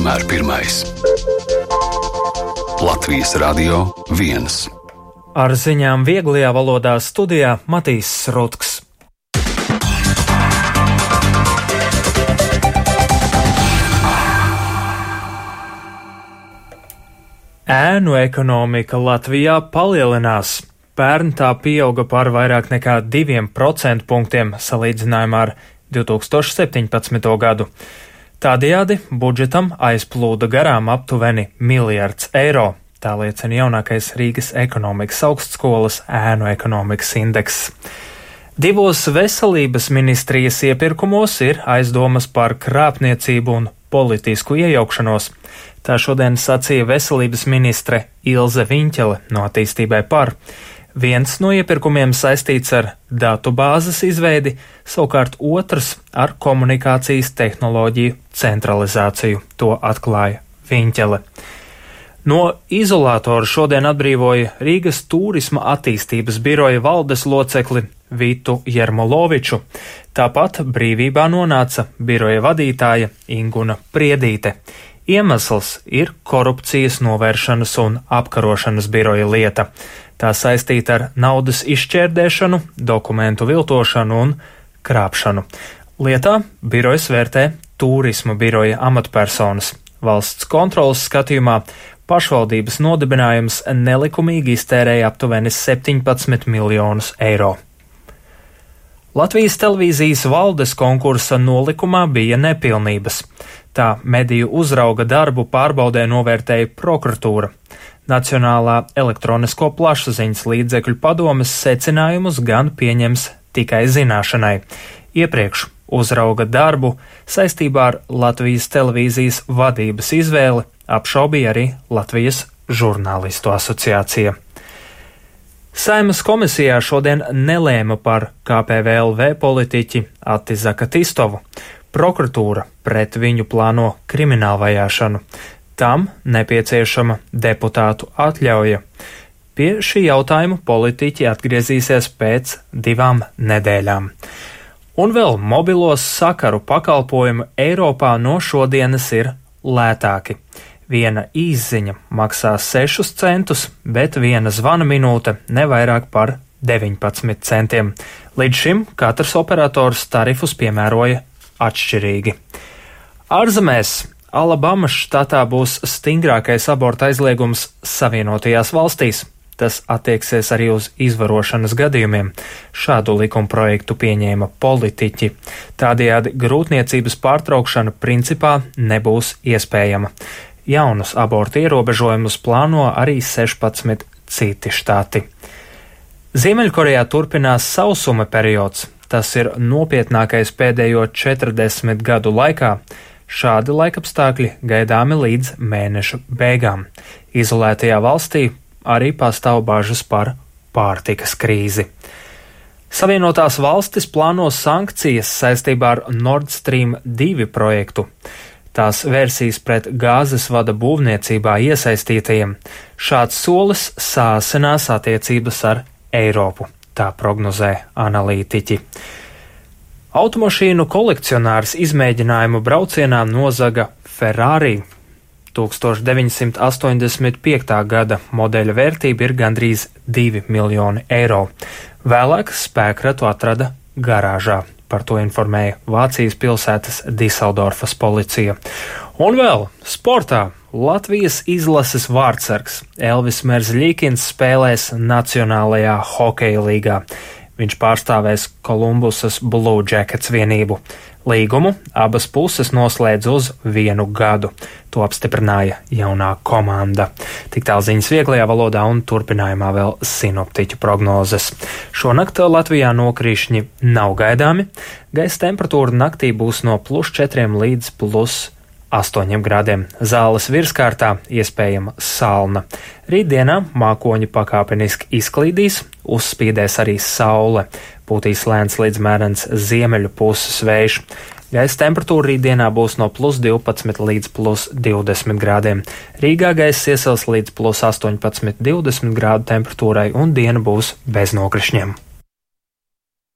vienmēr pirmais. Latvijas Radio 1. Ar ziņām vieglajā valodā studijā Matīs Rutks. Ēnu ekonomika Latvijā palielinās. Pērn tā pieauga par vairāk nekā 2% punktiem salīdzinājumā ar 2017. gadu. Tādējādi budžetam aizplūda garām aptuveni 1 miljards eiro. Tā liecina jaunākais Rīgas ekonomikas augstskolas ēnu ekonomikas indeks. 2 veselības ministrijas iepirkumos ir aizdomas par krāpniecību un politisku iejaukšanos. Tā šodien sacīja veselības ministre Ilze Viņķele no Attīstībai par. Viens no iepirkumiem saistīts ar datu bāzes izveidi, savukārt otrs ar komunikācijas tehnoloģiju centralizāciju, to atklāja Viņķele. No izolātora šodien atbrīvoja Rīgas turisma attīstības biroja valdes locekli Vitu Jermoloviču. Tāpat brīvībā nonāca biroja vadītāja Inguna Priedīte. Iemesls ir korupcijas novēršanas un apkarošanas biroja lieta. Tā saistīta ar naudas izšķērdēšanu, dokumentu viltošanu un krāpšanu. Lietā birojas vērtē turisma biroja amatpersonas. Valsts kontrolas skatījumā pašvaldības nodibinājums nelikumīgi iztērēja aptuveni 17 miljonus eiro. Latvijas televīzijas valdes konkursa nolikumā bija nepilnības. Tā mediju uzrauga darbu pārbaudē novērtēja prokuratūra. Nacionālā elektronisko plašsaziņas līdzekļu padomes secinājumus gan pieņems tikai zināšanai. Iepriekš uzrauga darbu saistībā ar Latvijas televīzijas vadības izvēli apšaubīja arī Latvijas žurnālistu asociācija. Saeimas komisijā šodien nelēma par KPVLV politiķi Ati Zakatistovu. Prokuratūra pret viņu plāno kriminālvajāšanu. Tam nepieciešama deputātu atļauja. Pie šī jautājuma politiķi atgriezīsies pēc 2 nedēļām. Un vēl mobilos sakaru pakalpojumi Eiropā no šodienas ir lētāki. Viena īsziņa maksā 6 centus, bet viena zvana minūte nevairāk par 19 centiem. Līdz šim katrs operators tarifus piemēroja atšķirīgi. Ārzemēs Alabamas štatā būs stingrākais aborta aizliegums Savienotajās valstīs. Tas attieksies arī uz izvarošanas gadījumiem. Šādu likumprojektu pieņēma politiķi. Tādējādi grūtniecības pārtraukšana principā nebūs iespējama. Jaunus abortu ierobežojumus plāno arī 16 citi štāti. Ziemeļkorejā turpinās sausuma periods. Tas ir nopietnākais pēdējo 40 gadu laikā. Šādi laikapstākļi gaidāmi līdz mēneša beigām. Izolētajā valstī arī pastāv bažas par pārtikas krīzi. Savienotās valstis plāno sankcijas saistībā ar Nord Stream 2 projektu. Tās vērsīs pret gāzes vada būvniecībā iesaistītajiem. Šāds solis sāsinās attiecības ar Eiropu, tā prognozē analītiķi. Automašīnu kolekcionārs izmēģinājumu braucienā nozaga Ferrari. 1985. gada modeļa vērtība ir gandrīz 2 miljoni eiro. Vēlāk spēkratu atrada garāžā. Par to informēja Vācijas pilsētas Diseldorfas policija. Un vēl sportā Latvijas izlases vārdsargs Elvis Merzļikins spēlēs Nacionālajā hokeja līgā. Viņš pārstāvēs Kolumbusas Blue Jackets vienību. Līgumu abas puses noslēdz uz 1 gadu. To apstiprināja jaunā komanda. Tik tālu ziņas vieglajā valodā un turpinājumā vēl sinoptiķu prognozes. Šonakt Latvijā nokrišņi nav gaidāmi. Gaisa temperatūra naktī būs no +4 līdz +8 grādiem. Zāles virskārtā iespējama salna. Rītdienā mākoņi pakāpeniski izklīdīs, uzspīdēs arī saule. Būtīs lēns līdz mērens ziemeļu puses vējš. Gaisa temperatūra rītdienā būs no +12 līdz +20 grādiem. Rīgā gaisa iesils līdz +18–20 grādu temperatūrai un diena būs bez nokrišņiem.